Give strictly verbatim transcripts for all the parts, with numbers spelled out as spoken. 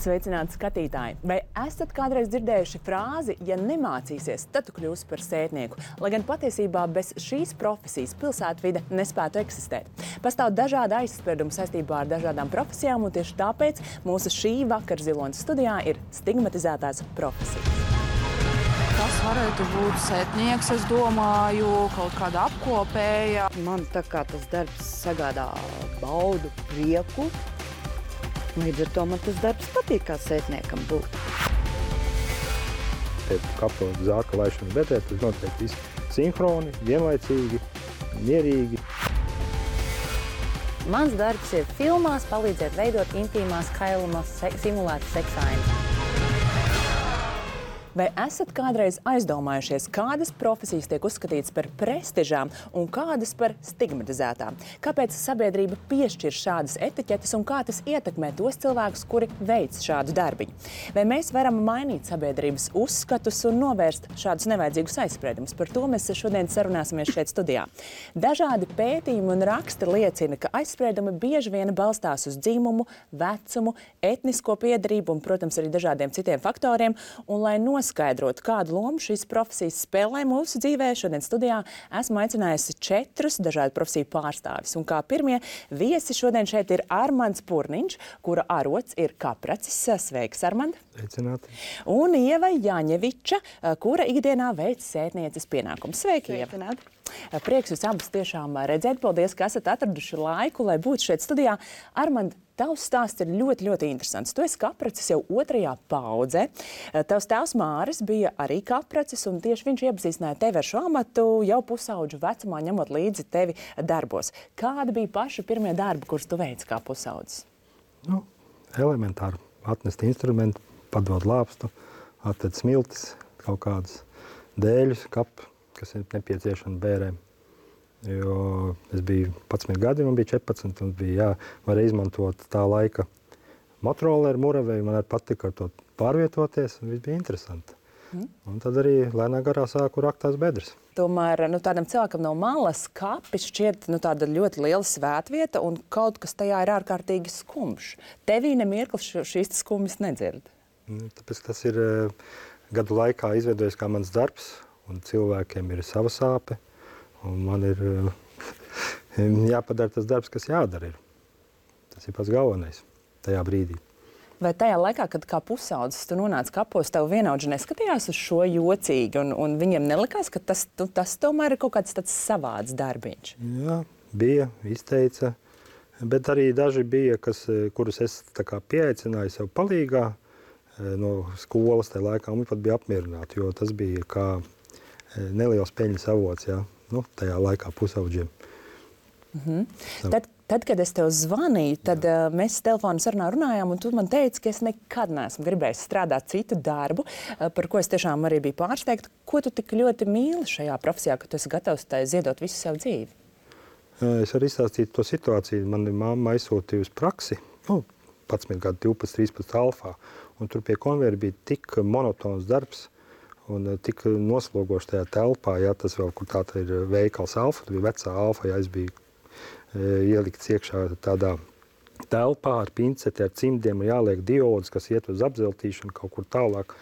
Sveicināti skatītāji! Vai esat kādreiz dzirdējuši frāzi, ja nemācīsies, tad tu kļūsi par sētnieku? Lai gan patiesībā bez šīs profesijas pilsētvide nespētu eksistēt. Pastāv dažādi aizspriedumi saistībā ar dažādām profesijām, un tieši tāpēc mūsu šī vakar Ziloņas studijā ir stigmatizētās profesijas. Tas varētu būt sētnieks, es domāju, kaut kāda apkopēja. Man tā kā tas darbs sagādā baudu, prieku. Līdz ar to man tas darbs patīk, kā sētniekam būt. Kapu zārka laišana betē, tas notiek visi sinhroni, vienlaicīgi, mierīgi. Mans darbs ir filmās palīdzēt veidot intīmās kailumas simulētas seksainas. Vai esat kādreiz aizdomājušies, kādas profesijas tiek uzskatītas par prestižām un kādas par stigmatizētām? Kāpēc sabiedrība piešķir šādas etiķetes un kā tas ietekmē tos cilvēkus, kuri veic šādu darbiņu? Vai mēs varam mainīt sabiedrības uzskatus un novērst šādus nevajadzīgus aizspriedumus? Par to mēs šodien sarunāsimies šeit studijā. Dažādi pētījumi un raksti liecina, ka aizspriedumi bieži vien balstās uz dzimumu, vecumu, etnisko piedarību un, protams, arī dažādiem citiem faktoriem. Un, lai noskaidrot, kādu lomu šīs profesijas spēlē mūsu dzīvē, šodien studijā esmu aicinājusi četrus dažādu profesiju pārstāvis. Un kā pirmie viesi šodien šeit ir Armands Purniņš, kura arots ir kapracis. Sveiks, Armand! Sveicināti! Un Ieva Jaņeviča, kura ikdienā veic sētnieces pienākumus. Sveiki, Ieva! Sveicināti! Prieks jūs abus tiešām redzēt. Paldies, ka esat atraduši laiku, lai būtu šeit studijā. Armand, tavs stāsts ir ļoti, ļoti interesants. Tu esi kapracis jau otrajā paudzē. Tavs tēvs Māris bija arī kapracis, un tieši viņš iepazīstināja tevi ar šo amatu jau pusauģu vecumā, ņemot līdzi tevi darbos. Kādi bija paši pirmie darbi, kurus tu veici kā pusaudzis? Nu, elementāri. Atnest instrumentu, padot lāpstu, atved smiltis, kaut kādus dēļus, kapu, kas ir nepieciešami bērēm. Jo es biju padsmit gadi, man bija četrpadsmit, un bija jāvarēja izmantot tā laika motorolleru muravēju. Man arī patika ar to pārvietoties, un viss bija interesanti. Mm. Un tad arī lēnā garā sāku rakt tās bedres. Tomēr nu, tādam cilvēkam no malas kapi šķiet nu, tāda ļoti liela svētvieta, un kaut kas tajā ir ārkārtīgi skumjš. Tevī nemirklis šīs skumjas nedzird. Nu, tāpēc tas ir gadu laikā izveidojies kā mans darbs, un cilvēkiem ir sava sāpe, un man ir jāpadara tas darbs, kas jādara ir. Tas ir pats galvenais tajā brīdī. Vai tajā laikā, kad kā pusaudzis tu nonāc kapos, tev vienaudži neskatījās uz šo jocīgi, un, un viņiem nelikās, ka tas, tu, tas tomēr ir kaut kāds tāds savāds darbiņš? Jā, bija, izteica, bet arī daži bija, kas, kurus es tā kā pieaicināju sev palīgā no skolas tajā laikā, un viņi pat bija apmierināti, jo tas bija kā neliels peļņas avots, jā, nu, tajā laikā pusaudžiem. Mhm. Tad, tad, kad es tev zvanīju, tad uh, mēs telefonu sarunā runājām, un tu man teici, ka es nekad neesmu gribējis strādāt citu darbu, uh, par ko es tiešām arī biju pārsteigta. Ko tu tik ļoti mīli šajā profesijā, ka tu esi gatavs tai ziedot visu savu dzīvi? Es varu izstāstīt to situāciju. Mani mamma aizsūtīja uz praksi, nu, padsmit gadu, divpadsmit, trīspadsmit alfā, un tur pie konveijera bija tik monotons darbs, un tik noslogoši tajā telpā, ja tas vēl, kur tā ir veikals Alfa, tā bija vecā Alfa, ja es biju e, ielikts iekšā tādā telpā ar pinceti, ar cimdiem, un jāliek diodas, kas iet uz apzeltīšanu kaut kur tālāk.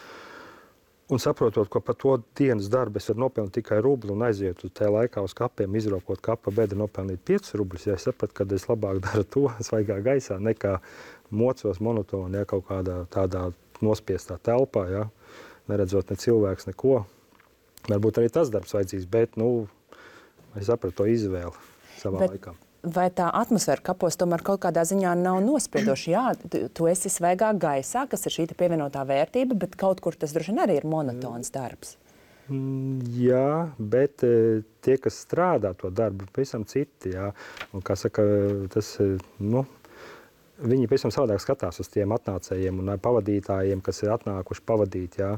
Un saprotot, ka par to dienas darbu es varu nopelnīt tikai rubli un aiziet uz tajā laikā uz kapiem, izrokot kapa bedru, nopelnīt piecus rubļus, ja es sapratu, ka es labāk daru to svaigā gaisā, nekā mocos monotoni, ja kaut kādā tādā nospiestā telpā, ja. Neredzot ne cilvēks, neko. Varbūt arī tas darbs vajadzīgs, bet, nu, es sapratu to izvēli savā bet, laikā. Vai tā atmosfēra kapos tomēr kaut kādā ziņā nav nospiedoša? Jā, tu, tu esi svaigā gaisā, kas ir šī pievienotā vērtība, bet kaut kur tas droši vien arī ir monotons darbs. Jā, bet tie, kas strādā to darbu, pavisam citi, jā. Un, kā saka, tas, nu, viņi pavisam savādāk skatās uz tiem atnācējiem un pavadītājiem, kas ir atnākuši pavadīt, jā.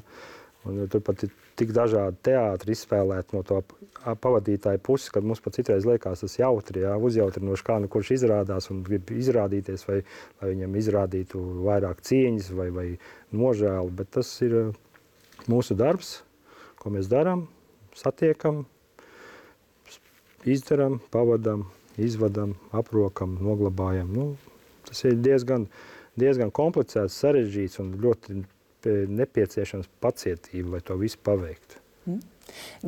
Un tur pat ir tik dažādi teātri izspēlēt no to pavadītāju puses, kad mums pat citreiz liekas tas jautri, jā, uzjautrinoši, kā nu kurš izrādās un grib izrādīties, vai, lai viņam izrādītu vairāk cieņas vai, vai nožēlu, bet tas ir mūsu darbs, ko mēs darām, satiekam, izdaram, pavadam, izvadam, aprokam, noglabājam, nu, tas ir diezgan, diezgan komplicēts, sarežģīts un ļoti nepieciešams pacietība, lai to visu paveiktu. Mm.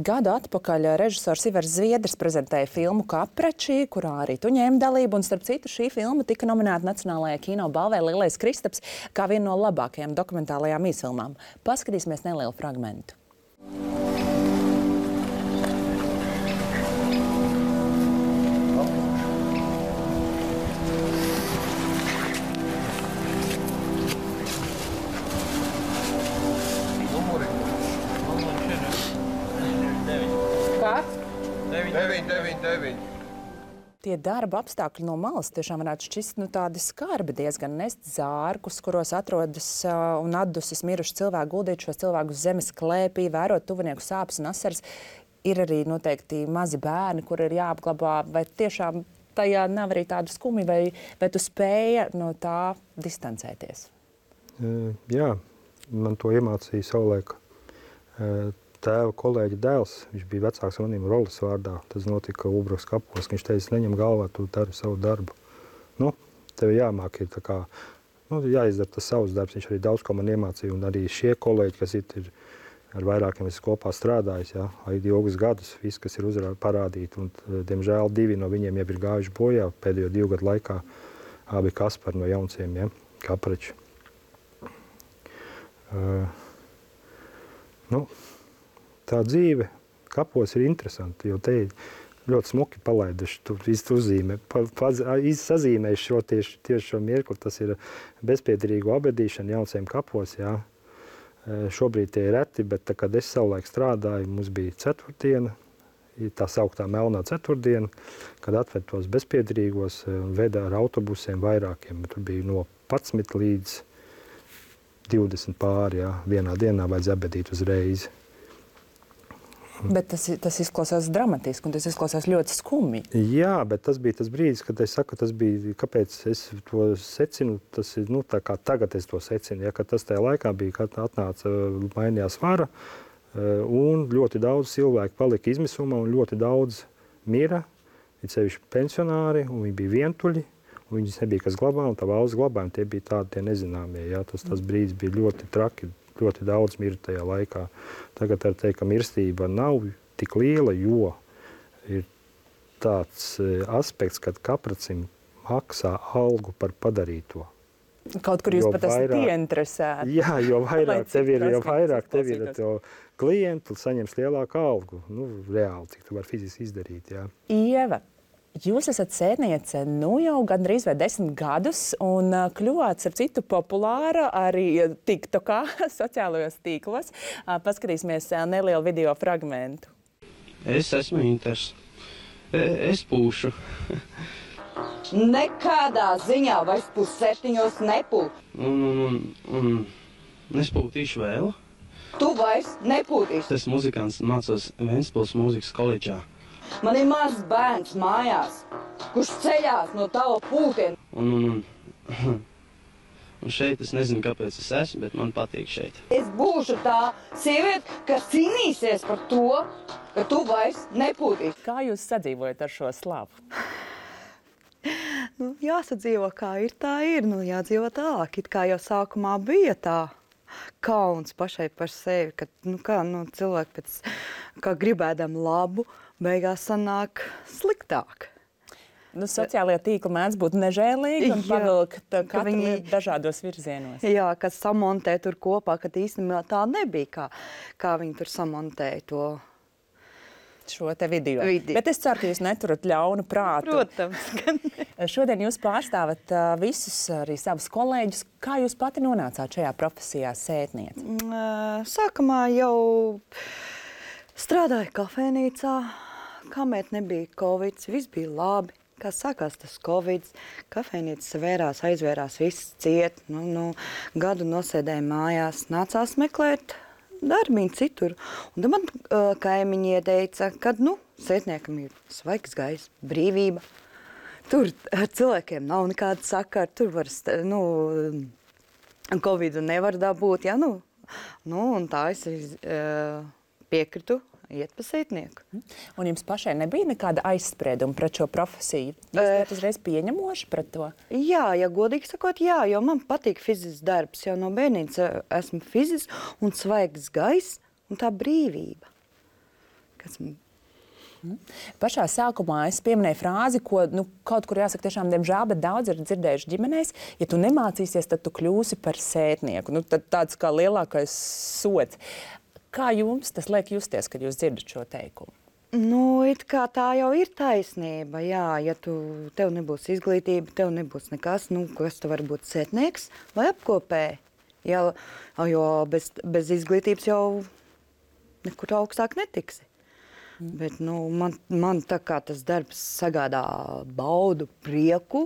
Gadu atpakaļ režisors Ivars Zviedrs prezentēja filmu Kaprači, kurā arī tu ņēmi dalību, un starp citu šī filma tika nominēta Nacionālajā kino balvē Lielais Kristaps kā viena no labākajām dokumentālajām īsfilmām. Paskatīsimies nelielu fragmentu. Tie darba apstākļi no malas tiešām varētu šķist nu, tādi skarbi, diezgan nest zārkus, kuros atrodas uh, un atdusis miruši cilvēki, guldīt šos cilvēkus zemes klēpī, vērot tuvinieku sāpes un asaras. Ir arī noteikti mazi bērni, kur ir jāapglabā, vai tiešām tajā nav arī tādu skumi, vai, vai tu spēja no tā distancēties? Uh, jā, man to iemācīja savulaik uh, tēva kolēģa dēls. Viņš bija vecāks manim Rolis vārdā. Tas notika Ulbrukas kapos. Viņš teica, neņem galvā, tu dari savu darbu. Nu, tev jāmāk ir tā kā, nu, jāizdara tas savs darbs. Viņš arī daudz ko man iemācīja. Un arī šie kolēģi, kas ir, ir ar vairākiem es kopā strādājis, jā, ilgus gadus, viss, kas ir uzrādi parādīti. Un, diemžēl, divi no viņiem jau ir gājuši bojā pēdējo divu gadu laikā. Abi Kaspari no Jaunciem, jā, Kaprači. Uh, nu, Tā dzīve kapos ir interesanti, jo te ir ļoti smuki palaiduši, tu visu uzzīmē, pa, pa, sazīmējuši šo tieši, tieši šo mirkli. Tas ir bezpiedarīgu abedīšana Jaunciem kapos, jā. Šobrīd tie ir reti, bet tā, kad es savulaik strādāju, mums bija ceturtdiena, tā sauktā melnā ceturtdiena, kad atved tos bezpiedarīgos un veda ar autobusiem vairākiem. Tur bija no padsmit līdz divdesmit pāri, jā. Vienā dienā vajadz abedīt uzreiz. Bet tas, tas izklausās dramatiski un tas izklausās ļoti skumji. Jā, bet tas bija tas brīdis, kad es saku, tas bija, kāpēc es to secinu, tas ir, nu, tā kā tagad es to secinu, ja, kad tas tajā laikā bija, kad atnāca, mainījās vara, un ļoti daudz cilvēku palika izmisumā un ļoti daudz mira, ir sevišķi pensionāri, un viņi bija vientuļi, un viņas nebija kas glabā, un tā valsts glabājumi, tie bija tādi tie nezināmie, ja, tas, tas brīdis bija ļoti traki. Ļoti daudz mirta tajā laikā. Tagad var teikt, ka mirstība nav tik liela, jo ir tāds aspekts, kad Kapracim maksā algu par padarīto. Kaut kur jūs jo pat esat ieinteresēti. Jā, jo vairāk tev ir, jo vairāk tev ir to klientu, saņems lielāku algu. Nu, reāli, cik tu var fiziski izdarīt, jā. Ieva, jūs esat sētniece nu jau gandrīz vai desmit gadus un kļuvāt, ar citu, populāra arī TikTokā, sociālajos tīklos. Paskatīsimies nelielu video fragmentu. Es esmu Inters. Es pūšu. Nekādā ziņā vairs pusseptiņos nepūt. Un, un, un, un es pūtīšu vēl. Tu vairs nepūtīši. Es muzikants mācos Ventspils mūzikas koledžā. Man ir mazs bērns mājās, kurš ceļās no tava pūtiem. Un, un, un, un šeit es nezinu, kāpēc es esmu, bet man patīk šeit. Es būšu tā sieviete, kas cīnīsies par to, ka tu vairs nepūtīši. Kā jūs sadzīvojat ar šo slavu? Nu, jāsadzīvo, kā ir, tā ir. Nu, jādzīvo tālāk. It kā jau sākumā bija tā kauns pašai par sevi, ka nu, kā, nu, cilvēki pēc kā gribēdam labu, beigās sanāk sliktāk. Nu, sociālajie tīkli mēdz būt nežēlīgi un pavilkt katru viņi, dažādos virzienos. Jā, kas samontē tur kopā, kad īstenībā tā nebija, kā, kā viņi tur samontēja to šo te video. video. Bet es ceru, ka jūs neturat ļaunu prātu. Protams. Šodien jūs pārstāvat uh, visus arī savus kolēģus. Kā jūs pati nonācāt šajā profesijā sētniece? Sākumā jau strādāju kafejnīcā, kamēr nebija Covid, viss bija labi. Kā sākās tas Covid, kafejnīca vērās, aizvērās, viss ciet. Nu, nu, gadu nosēdēju mājās, nācās meklēt darbiņu citur. Un tad man uh, kaimiņi ieteica, ka, nu, sētniekam ir svaigs gaiss, brīvība. Tur ar cilvēkiem nav nekāda sakara, tur var, nu, Covidu nevar dabūt, ja, nu. Nu, un tā es uh, piekritu iet pa sētnieku. Un jums pašai nebija nekāda aizsprieduma pret šo profesiju? Jūs bijat uzreiz pieņemoši pret to? Jā, ja godīgi sakot, jā, jo man patīk fizisks darbs. Jau no bērnības esmu fizisks un svaigs gaiss un tā brīvība. Kas man... Pašā sākumā es pieminēju frāzi, ko nu, kaut kur jāsaka tiešām, diemžēl, bet daudz ir dzirdējuši ģimenēs. Ja tu nemācīsies, tad tu kļūsi par sētnieku. Nu, tad tāds kā lielākais sods. Kā jums tas liek justies, kad jūs dzirdat šo teikumu? Nu, it kā tā jau ir taisnība, jā. Ja tu, tev nebūs izglītība, tev nebūs nekas, nu, kas tu var būt sētnieks vai apkopēji. Jā, jo bez, bez izglītības jau nekur augstāk netiksi. Bet nu, man, man tā kā tas darbs sagādā baudu, prieku,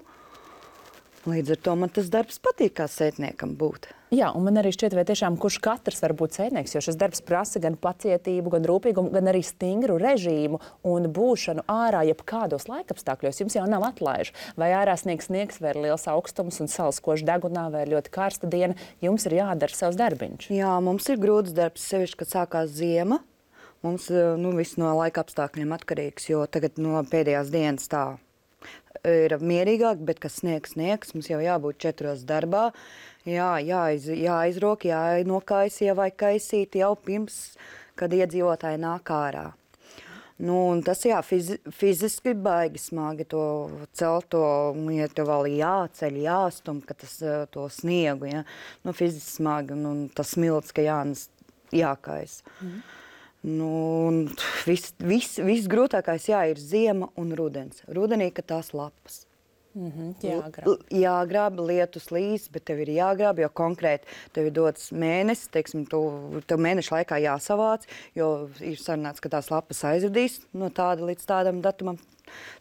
līdz ar to man tas darbs patīk kā sētniekam būt. Jā, un man arī šķiet, vai tiešām kurš katrs var būt sētnieks, jo šis darbs prasa gan pacietību, gan rūpīgumu, gan arī stingru režīmu un būšanu ārā jebkādos laikapstākļos. Jums jau nav atlaižu. Vai ārā sniegs sniegs, vai ir liels augstums un saules koši degunā, vai ir ļoti karsta diena, jums ir jādara savs darbiņš. Jā, mums ir grūts darbs, sevišķi, kad sākās ziema. Mums nu, viss no laika apstākļiem atkarīgs, jo tagad no pēdējās dienas tā ir mierīgāk, bet, kas sniegs, sniegs, mums jau jābūt četros darbā, jā, jāiz, jāizrok, jānokais, ievai kaisīt jau pirms, kad iedzīvotāji nāk ārā. Nu, un tas, jā, fizi, fiziski baigi smagi to celt, to, ja tev vēl jāceļ, jāstum, ka tas, to sniegu, ja, nu, fiziski smagi, un, un tas smilts, ka jānes, jākais. Mm. Nu, viss vis, vis grūtākais jā, ir ziema un rudens. Rudenī, ka tās lapas. Mm-hmm, jāgrāb. Jāgrāb, lietus līs, bet tev ir jāgrāb, jo konkrēti tev ir dots mēnesis, teiksim, tu, tev mēneša laikā jāsavāc, jo ir sarunāts, ka tās lapas aizradīs no tāda līdz tādam datumam.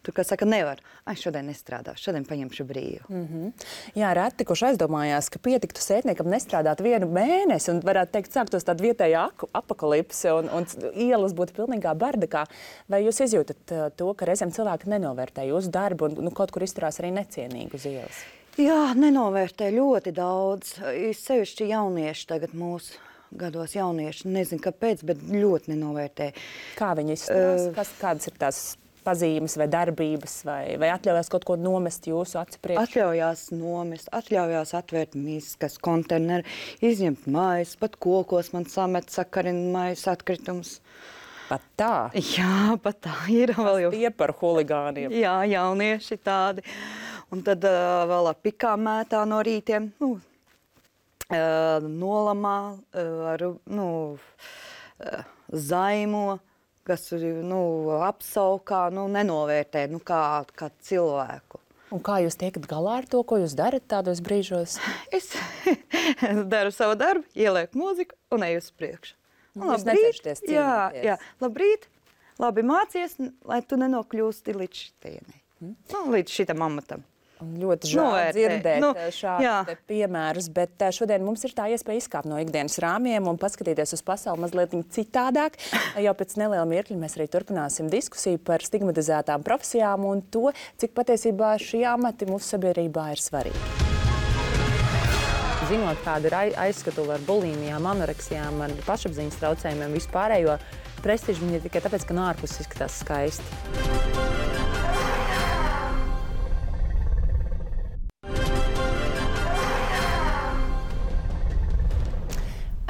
Tur, kā saka, nevar. Ai, šodien nestrādāšu, šodien paņemšu brīvu. Mm-hmm. Jā, reti, kurš aizdomājās, ka pietiktu sētniekam nestrādāt vienu mēnesi un varētu teikt, sāktos tāda vietējā apakalipse un, un ielas būtu pilnīgā bardakā. Vai jūs izjūtat uh, to, ka reizēm cilvēki nenovērtē jūsu darbu un nu, kaut kur izturās arī necienīgi uz ielas? Jā, nenovērtē ļoti daudz. Sevišķi jaunieši tagad mūsu gados jaunieši, nezinu kāpēc, bet ļoti nenovērtē. Kā viņi izturās? Uh, Kas, kādas ir tās pazīmes vai darbības, vai, vai atļaujās kaut ko nomest jūsu acu priekšā? Atļaujās nomest, atļaujās atvērt miskas, konteineru, izņemt mājas, pat kokos man samet sakarina mājas atkritumus. Pat tā? Jā, pat tā ir. Vēl jau tie par huligāniem. Jā, jaunieši tādi. Un tad uh, vēl ar pikām mētā no rītiem, nu, uh, nolamā, uh, ar, nu, uh, zaimo, kas nu, apsaukā, nu, nenovērtē nu, kā, kā cilvēku. Un kā jūs tiekat galā ar to, ko jūs darat tādos brīžos? Es daru savu darbu, ielieku mūziku un eju uz priekšu. Un jūs necenšaties cīnīties? Jā, jā, labrīt, labi mācies, lai tu nenokļūsti līdz šitienei. Hmm? Nu, līdz šitam amatam. Un ļoti žēl dzirdēt nu, šādus piemērus, bet šodien mums ir tā iespēja izkāpt no ikdienas rāmjiem un paskatīties uz pasauli mazliet citādāk. Jau pēc neliela mirkļa mēs arī turpināsim diskusiju par stigmatizētām profesijām un to, cik patiesībā šie amati mūsu sabiedrībā ir svarīgi. Zinot, kāda ir aizskatula ar bulimijām, anoreksijām, ar pašapziņas traucējumiem, vispārējo prestižu viņi ir tikai tāpēc, ka no ārpuses izskatās skaisti.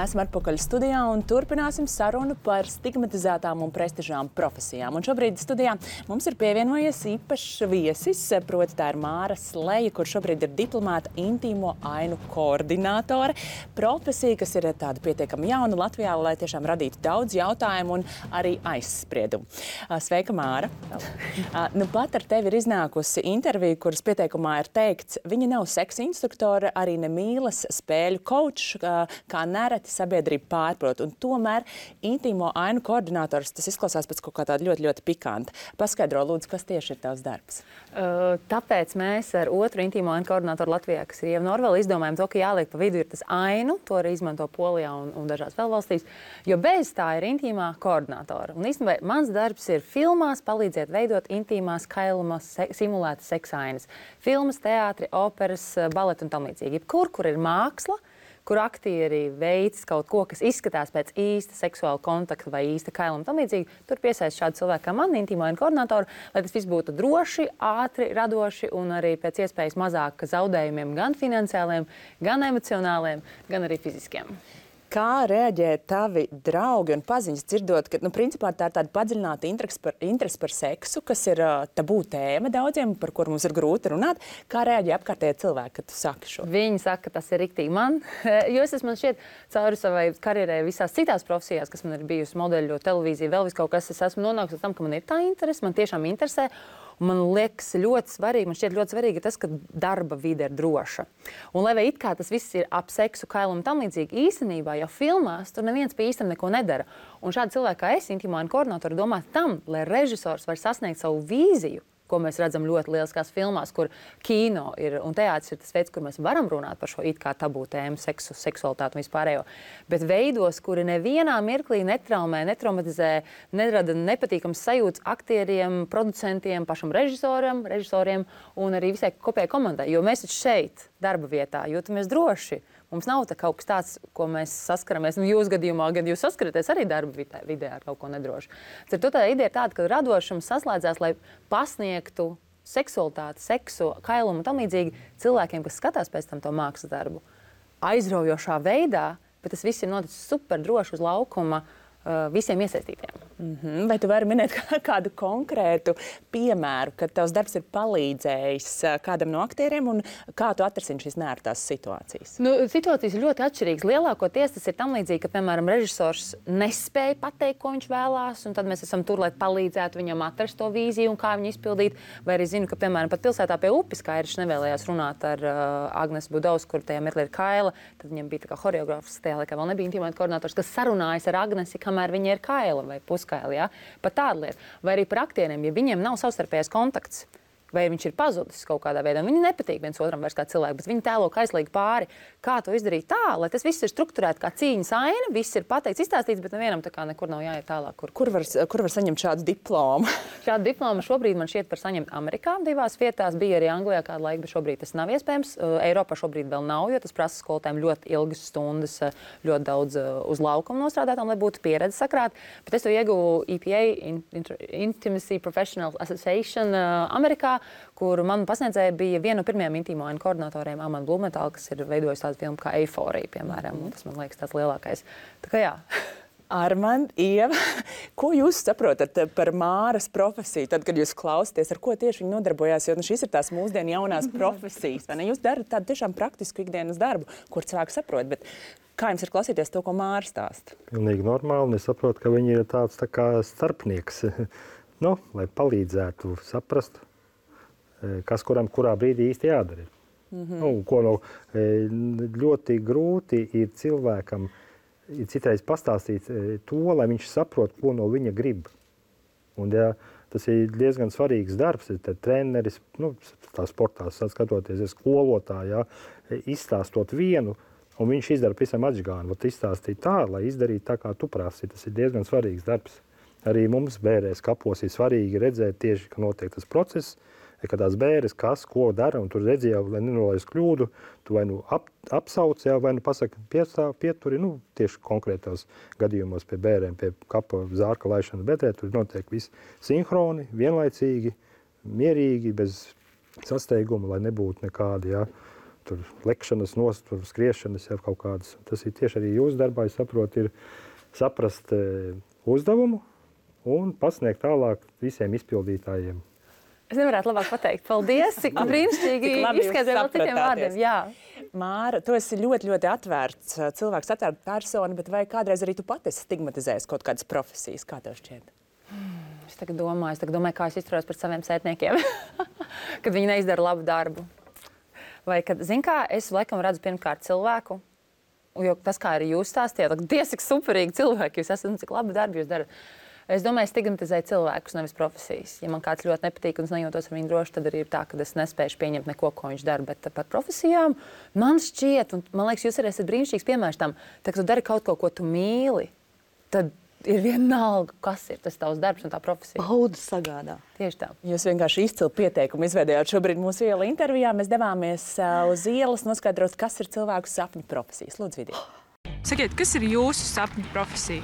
Esam atpakaļ studijā un turpināsim sarunu par stigmatizētām un prestižām profesijām. Un šobrīd studijā mums ir pievienojies īpašs viesis, proti tā ir Māra Sleja, kur šobrīd ir diplomāta intīmo ainu koordinātore. Profesija, kas ir tāda pietiekami jauna Latvijā, lai tiešām radītu daudz jautājumu un arī aizspriedumu. Sveika, Māra! Nu, pat ar tevi ir iznākusi intervija, kuras pieteikumā ir teikts, viņa nav seksa instruktore, arī ne mīlas spēļu coach, kā nereti sabiedrība pārprot. Un tomēr intīmo ainu koordinators, tas izklausās pēc kaut kā tāda ļoti, ļoti pikanta. Paskaidro, lūdzu, kas tieši ir tavs darbs? Uh, tāpēc mēs ar otru intīmo ainu koordinatoru Latvijā, kas ir Ieva Norvela, izdomājam to, ka jāliek pa vidu ir tas ainu, to arī izmanto Polijā un, un dažās vēl valstīs, jo bez tā ir intīmā koordinatora. Un īstenībā mans darbs ir filmās palīdzēt veidot intīmās kailumas se simulētas seksainas. Filmas, teātri, operas, baleti un tam līdzīgi. Kur, kur ir māksla, kur aktieri veids kaut ko, kas izskatās pēc īsta seksuāla kontakta vai īsta kailuma tam līdzīgi, tur piesaist šādu cilvēku kā man, intīmo ainu koordinātoru, lai tas viss būtu droši, ātri, radoši un arī pēc iespējas mazāk zaudējumiem gan finansiāliem, gan emocionāliem, gan arī fiziskiem. Kā reaģē tavi draugi un paziņas dzirdot, ka, nu, principā tā ir tāda padziļināta interese par, interese par seksu, kas ir uh, tabū tēma daudziem, par kuru mums ir grūti runāt. Kā reaģē apkārtējie cilvēki, kad tu saki šo? Viņi saka, ka tas ir riktīgi man, jo es esmu šķiet cauri savai karjerai visās citās profesijās, kas man ir bijusi modeļu, televīzija, vēl vis kaut kas, es esmu nonākusi tam, ka man ir tā interese, man tiešām interesē. Un man liekas ļoti svarīgi, man šķiet ļoti svarīgi tas, ka darba vide ir droša. Un lai vai it kā tas viss ir ap seksu, kailumu tam līdzīgi, īstenībā jau filmās tur neviens pie īstam neko nedara. Un šādi cilvēki kā es, intīmo ainu koordinātori, domā tam, lai režisors var sasniegt savu vīziju, ko mēs redzam ļoti lieliskās filmās, kur kino ir un teātris ir tas veids, kur mēs varam runāt par šo it kā tabū tēmu, seksu, seksualitāti un vispārējo. Bet veidos, kuri nevienā mirklī netraumē, netraumatizē, nerada nepatīkams sajūtas aktieriem, producentiem, pašam režisoram, režisoriem un arī visai kopējai komandai. Jo mēs taču šeit, darba vietā, jūtamies droši. Mums nav tā kaut kas tāds, ko mēs saskaramies. Nu, jūs gadījumā, gan jūs saskaraties arī darba vidē, vidē ar kaut ko nedrošu. Ar to tā ideja ir tāda, ka radošums saslēdzās, lai pasniegtu seksualitāti, seksu, kailumu un tam līdzīgi cilvēkiem, kas skatās pēc tam to mākslas darbu. Aizraujošā veidā, bet tas viss ir noticis super droši uz laukuma uh, visiem iesaistītiem. Mm-hmm. Vai tu vari minēt kādu konkrētu piemēru, kad tavs darbs ir palīdzējis kādam no aktieriem un kā tu atrisini šīs neērtās situācijas? Nu, situācijas ir ļoti atšķirīgas. Lielākoties tas ir tam līdzīgi, ka, piemēram, režisors nespēja pateikt, ko viņš vēlās, un tad mēs esam tur, lai palīdzētu viņam atrast to vīziju un kā viņu izpildīt. Vai arī zinu, ka, piemēram, pat pilsētā pie upes Kairis nevēlējās runāt ar uh, Agnes Budaus, kur tajā mirklī ir Kaila. Tad viņam bija tā kā horeogrāfs, tajā laikā vēl nebija intīmo ainu koordinators, kas sarunājas ar Agnesi, kamēr viņa ir Kaila vai puskaila. Ja? Pat tāda lieta. Vai arī par aktieriem, ja viņiem nav savstarpējais kontakts, vai viņš ir pazudis kaut kādā veidā. Viņi nepatīk viens otram vairs kā cilvēki, bet viņi tēlo kaislīgi pāri. Kā to izdarīt tā, lai tas viss ir strukturēts kā cīņas aina, viss ir pateikts, izstāstīts, bet nevienam tā kā nekur nav jāiet tālāk. Kur, kur, var, kur var saņemt šādu diplomu? Šādu diplomu šobrīd man šķiet par saņemt Amerikā divās vietās. Bija arī Anglijā kādu laiku, bet šobrīd tas nav iespējams. Eiropā šobrīd vēl nav, jo tas prasa skolotājiem ļoti ilgas stundas, ļoti daudz uz laukuma nostrādātām, lai būtu pieredze sakrāt. Bet es to ieguvu E P A, Intimacy Professional Association Amerikā, kur man pasniedzēja bija viena no pirmajiem intīmo ainu koordinatoriem, Amanda Blumenthal, kas ir veidojis tādu filmu kā Eiforija, piemēram. Mm-hmm. Tas man liekas tāds lielākais. Tā kā jā. Armand, Ieva, ko jūs saprotat par Māras profesiju, tad, kad jūs klausāties, ar ko tieši viņi nodarbojās? Jo nu, šīs ir tās mūsdienu jaunās profesijas. Vai ne? Jūs darat tādu tiešām praktisku ikdienas darbu, kur cilvēki saprot, bet kā jums ir klausīties to, ko Māra stāsta? Pilnīgi normāli. Es saprotu, ka viņi ir tāds tā kā starpnieks, nu, lai palīdzētu saprast, kas kuram kurā brīdī īsti jādara. Mm-hmm. Nu, ko no, ļoti grūti ir cilvēkam ir citreiz pastāstīt to, lai viņš saprot, ko no viņa grib. Un, ja, tas ir diezgan svarīgs darbs. Tad treneris, nu, tā sportā skatoties, skolotāji, ja, izstāstot vienu, un viņš izdara pavisam atžgānu. Izstāstīt tā, lai izdarītu tā, kā tu prasi. Tas ir diezgan svarīgs darbs. Arī mums bērēs kapos ir svarīgi redzēt tieši, ka notiek tas process, ka tās bēres, kas, ko dara, un tur redzi jau, lai nenolaiz kļūdu, tu vai nu ap, apsauc, jau, vai nu pasaka piestāv, pieturi, nu, tieši konkrētos gadījumos pie bērēm, pie kapa zārka laišanas bedrē, tur notiek viss sinhroni, vienlaicīgi, mierīgi, bez sasteiguma, lai nebūtu nekādi, jā, tur lekšanas, nost, tur skriešanas, jā, kaut kādas. Tas ir tieši arī jūsu darbā, es saprotu, ir saprast e, uzdevumu un pasniegt tālāk visiem izpildītājiem. Es nevarētu labāk pateikt. Paldies, cik brīnišķīgi izskaidroja vēl citiem vārdiem. Jā. Māra, tu esi ļoti, ļoti atvērts cilvēks, atvērta persona, bet vai kādreiz arī tu pati esi stigmatizējis kaut kādas profesijas? Kā tev šķiet? Es tagad domāju, es tagad domāju, kā es izturos pret saviem sētniekiem, kad viņi neizdara labu darbu. Vai kad, zin kā, es laikam redzu pirmkārt cilvēku, jo tas, kā arī jūs stāstījāt, Dievs, cik superīgi cilvēki jūs esat un cik labu darbu jūs darat. Es domāju, stigmatizēju cilvēkus, nevis profesijas. Ja man kāds ļoti nepatīk un es nejūtos ar viņu droši, tad arī ir tā, ka es nespēju pieņemt neko, ko viņš dara. Bet par profesijām man šķiet, un man liekas, jūs arī esat brīnišķīgs piemērs tam, tā, ka tu dari kaut ko, ko tu mīli, tad ir vienalga, kas ir tas tavs darbs un tā profesija. Baudu sagādā. Tieši tā. Jūs vienkārši izcilu pieteikumu izveidojāt šobrīd mūsu iela intervijā. Mēs devāmies uh, uz ielas noskaidrot, kas ir cilvēku sapņu profesijas. Lūdzu, Vidija. Sakiet, kas ir jūsu sapņu profesija?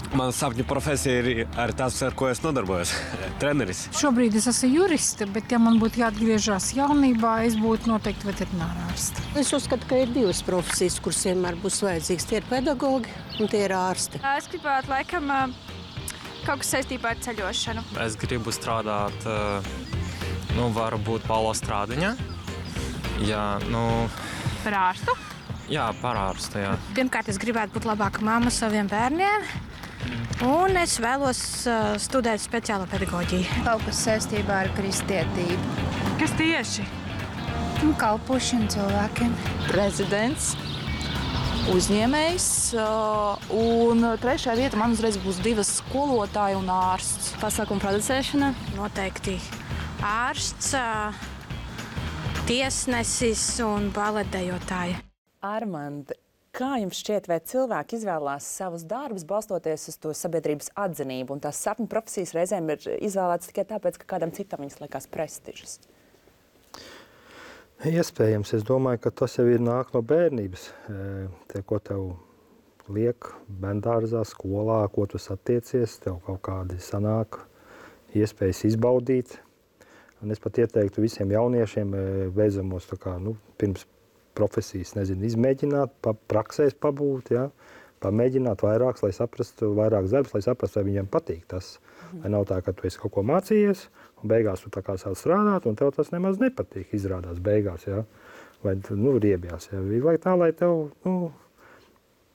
Mana sapņu profesija ir arī tas, ar ko es nodarbojos. Treneris. Šobrīd es esmu juriste, bet ja man būtu jāatgriežas jaunībā, es būtu noteikti veterinārārste. Es uzskatu, ka ir divas profesijas, kuras vienmēr būs vajadzīgas. Tie ir pedagogi un tie ir ārsti. Es gribētu, laikam, kaut kas saistībā ar ceļošanu. Es gribu strādāt, nu, varbūt Paulo Strādiņā. Jā, nu... Par ārstu? Jā, par ārstu, jā. Pirmkārt, es gribētu būt labāka mamma saviem bērniem. Un es vēlos uh, studēt speciālo pedagoģiju. Kaut kas saistībā ar kristietību. Kas tieši? Un kalpošana cilvēkiem. Prezidents, uzņēmējs. Uh, un trešā vieta man uzreiz būs divas skolotāji un ārsts. Pasākumu producēšana. Noteikti ārsts, uh, tiesnesis un baletdejotāja. Armand, kā jums šķiet, vai cilvēki izvēlās savus darbus balstoties uz to sabiedrības atzinību, un tās sapņu profesijas reizēm ir izvēlētas tikai tāpēc, ka kādam citam viņas liekas prestižas? Iespējams, es domāju, ka tas jau ir nāk no bērnības. Tie, ko tev liek bērndārzā, skolā, ko tu satiecies, tev kaut kādi sanāk iespējas izbaudīt. Un es pat ieteiktu visiem jauniešiem beidzamos tā kā, nu, pirms profesijas, nezinu, izmēģināt, pa, praksēs pabūt, ja, pamēģināt vairāks, lai saprastu, vairāks darbs, lai saprastu, vai viņam patīk tas. Mm. Vai nav tā, ka tu esi kaut ko mācījies, un beigās tu tā kā sāc strādāt, un tev tas nemaz nepatīk, izrādās beigās, ja, vai, nu, riebjās, ja. Vajag tā, lai tev, nu,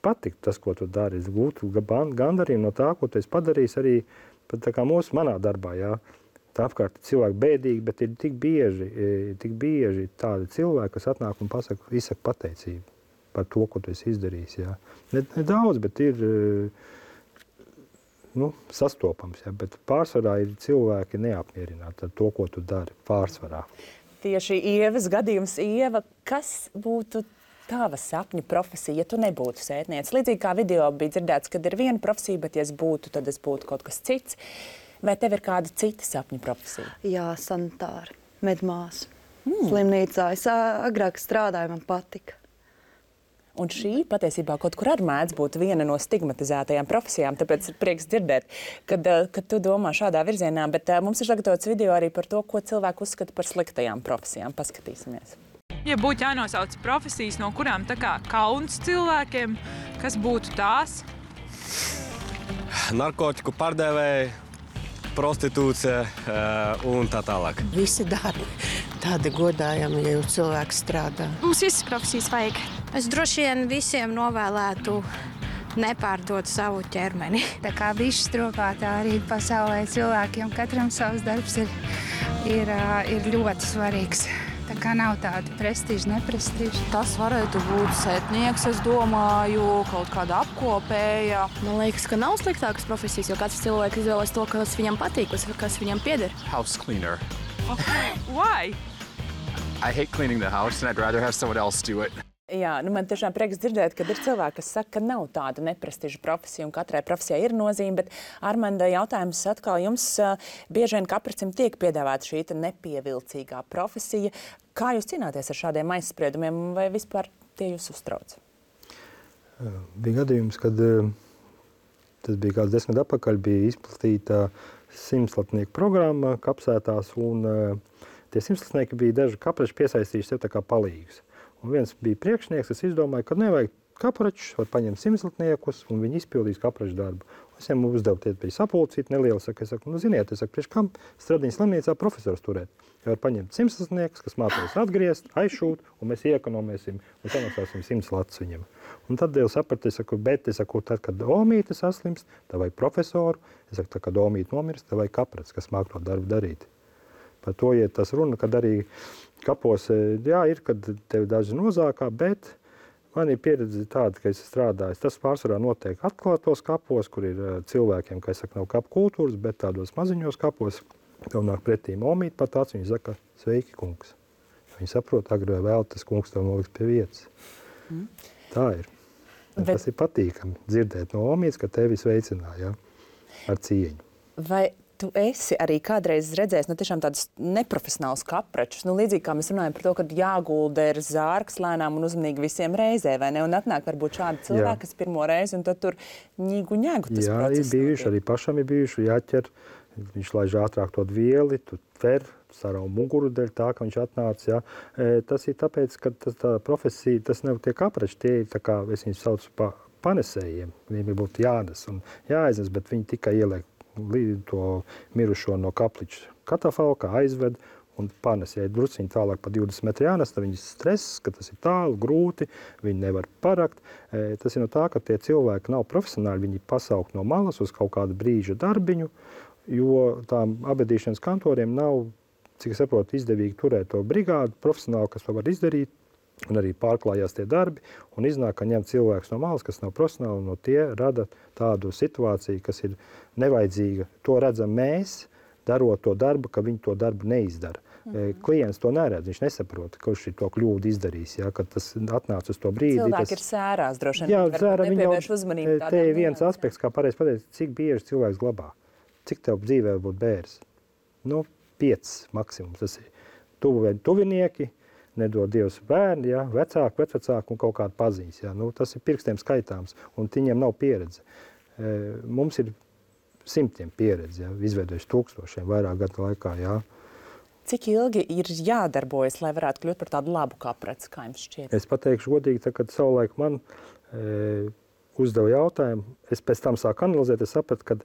patīk tas, ko tu dari, gūtu gandarījumu no tā, ko tu esi padarījis arī, pat tā kā mūsu manā darbā, ja. Tā apkārt cilvēki bēdīgi, bet ir tik bieži, tik bieži tādi cilvēki, kas atnāk un pasaka, izsaka pateicību par to, ko tu esi izdarījis. Jā. Ne, ne daudz, bet ir nu, sastopams. Jā. Bet pārsvarā ir cilvēki neapmierināti ar to, ko tu dari pārsvarā. Tieši Ievas gadījums. Ieva, kas būtu tava sapņu profesija, ja tu nebūtu sētniece? Līdzīgi kā video bija dzirdēts, kad ir viena profesija, bet ja es būtu, tad es būtu kaut kas cits. Vai tev ir kāda cita sapņu profesija? Jā, sanitāri, medmāsa, mm. slimnīcā. Es agrāk strādāju, man patika. Un šī patiesībā kaut kur arī mēdz būt viena no stigmatizētajām profesijām, tāpēc ir prieks dzirdēt, kad, kad tu domā šādā virzienā. Bet mums ir sagatavots video arī par to, ko cilvēku uzskata par sliktajām profesijām. Paskatīsimies. Ja būtu jānosauc profesijas, no kurām tā kā kauns cilvēkiem, kas būtu tās? Narkotiku pārdevēji, prostitūcija uh, un tā tālāk. Visi darbi tādi godājami, ja jau cilvēks strādā. Mums visas profesijas vajag. Es droši vien visiem novēlētu nepārdot savu ķermeni. Tā kā bišķi strokā, tā arī pasaulē cilvēkiem katram savs darbs ir, ir, ir ļoti svarīgs. Tā kā nav tāda prestiža, neprestiža. Tas varētu būt sētnieks, es domāju, kaut kāda apkopēja. Man liekas, ka nav sliktākas profesijas, jo katrs cilvēks izvēlas to, kas viņam patīk, kas viņam pieder. House cleaner. Okay. Why? I hate cleaning the house and I'd rather have someone else do it. Jā, nu man tiešām prieks dzirdēt, kad ir cilvēki, kas saka, ka nav tāda neprestiža profesija un katrai profesijai ir nozīme, bet Armanda, jautājums atkal jums uh, bieži vien kapricim tiek piedāvāta šī nepievilcīgā profesija. Kā jūs cīnāties ar šādiem aizspriedumiem vai vispār tie jūs uztrauc? Uh, bija gadījums, kad uh, tas bija kāds desmit atpakaļ, bija izplatīta simtslatnieku programma kapsētās un uh, tie simtslatnieki bija daži kaprači piesaistījuši sev tā kā palīgus. Un viens bija priekšnieks, kas izdomāja, ka nevajag kapračus, var paņemt simtslatniekus, un viņi izpildīs kapraču darbu. Es viņam uzdevu tie bija sapulcīt nelielu, saku, es saku, nu ziniet, es saku, priekš kam Stradiņas slimnīcā profesors turēt. Ja var paņemt simtslatniekus, kas mācīs atgriezt, aizšūt, un mēs iekonomēsim un samaksāsim simts latus viņam. Un tad jau sapratu, es saku, bet es saku, tad, kad Omīte saslimst, tā vajag profesoru, es saku, tad, kad Omīte nomirst, tā vajag kaprats, kas māk to darbu darīt. Par to iet tas runa, kad arī kapos, jā, ir, kad tevi daži nozākā, bet man ir pieredze tāda, ka es strādāju. Tas pārsvarā notiek atklātos kapos, kur ir cilvēkiem, ka es saku, nav kapu kultūras, bet tādos maziņos kapos. Tev nāk pretī Omīte pat tāds, viņi saka, sveiki, kungs. Viņi saprot, agri vai vēl tas kungs tev noliks pie vietas. Mm. Tā ir. Bet... Tas ir patīkami dzirdēt no Omijas, ka tevi sveicināja, ja? Ar cieņu. Vai tu esi arī kādreiz redzējis nu, tiešām tādus neprofesionālus kapračus? Nu, līdzīgi kā mēs runājam par to, ka jāgulda ir zārks lēnām un uzmanīgi visiem reizē, vai ne? Un atnāk varbūt šādi cilvēki, kas pirmo reizi, un tad tur ņigu ņegu tas Jā, process. Jā, ir bijuši, arī pašam ir bijuši jāķer. Viņš laiž ātrāk to vieli, tu tver, sarau muguru dēļ tā, ka viņš atnāca. Jā. E, tas ir tāpēc, ka tas, tā profesija, tas nav tie kaprači, tie ir tā kā, es viņus saucu pa panesējiem. Viņiem būtu jānes un jāaiznes, bet viņi tikai ieliek to mirušo no kapliča katafalka, aizved un panes. Ja ir drusciņi tālāk pa divdesmit metri jānes, tad viņi stress, ka tas ir tālu, grūti, viņi nevar parakt. E, tas ir no tā, ka tie cilvēki nav profesionāli, viņi pasaukt no malas uz kaut kādu brīža darbiņu, jo tām abedīšanas kantoriem nav, cik es saprotu, izdevīgi turēt to brigādu profesionāli, kas to var izdarīt, un arī pārklājās tie darbi, un iznāk, ka ņem cilvēks no malas, kas nav profesionāli, un no tie rada tādu situāciju, kas ir nevajadzīga. To redzam mēs, darot to darbu, ka viņi to darbu neizdara. Mm-hmm. Klients to neredz, viņš nesaprot, ka viņš to kļūdu izdarīs, ja, kad tas atnāca uz to brīdi. Cilvēki tas... ir sērās, droši vien. Jā, sērā viņi jau, uzmanību te ir viens nians, aspekts, kā pareizi pateikt, cik bieži cilvēks glabā. Cik tev dzīvē būtu bērs? Nu, piecas maksimums. Tas ir tuvi, tuvinieki, nedod Dievs bērni, ja, vecāki, vecvecāki un kaut kāda paziņas. Ja. Nu, tas ir pirkstiem skaitāms, un viņiem nav pieredze. E, mums ir simtiem pieredze, ja, izveidojuši tūkstošiem vairāk gadu laikā. Ja. Cik ilgi ir jādarbojas, lai varētu kļūt par tādu labu kapraci, kā jums šķiet? Es pateikšu godīgi, tā, kad savulaik man e, uzdeva jautājumu, es pēc tam sāku analizēt, es sapratu, ka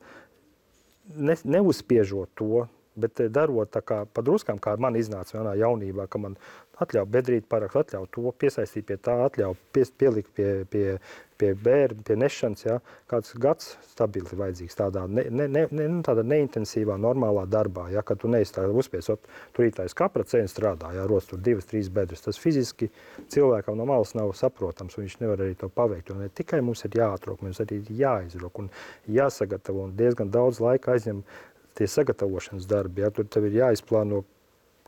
ne, neuzspiežot to, bet darot tā kā pa druskām, kā man iznāca vienā jaunībā, ka man atļauj bedrīt parakt, atļauj to piesaistīt pie tā, atļauj pie, pielikt pie, pie, pie bērnu, pie nešanas, ja, kāds gads stabili vajadzīgs tādā, ne, ne, ne, tādā neintensīvā, normālā darbā, ja, kad tu neesi tā uzspiesot, tur ītais kaprats un strādā, ja, rost tur divas, trīs bedres. Tas fiziski cilvēkam no malas nav saprotams, un viņš nevar arī to paveikt. Un ne tikai mums ir jāatrok, mums arī ir jāizrok un jāsagatavo, un diezgan daudz laika aizņem tie sagatavošanas darbi, ja, tur tev ir jāizplāno,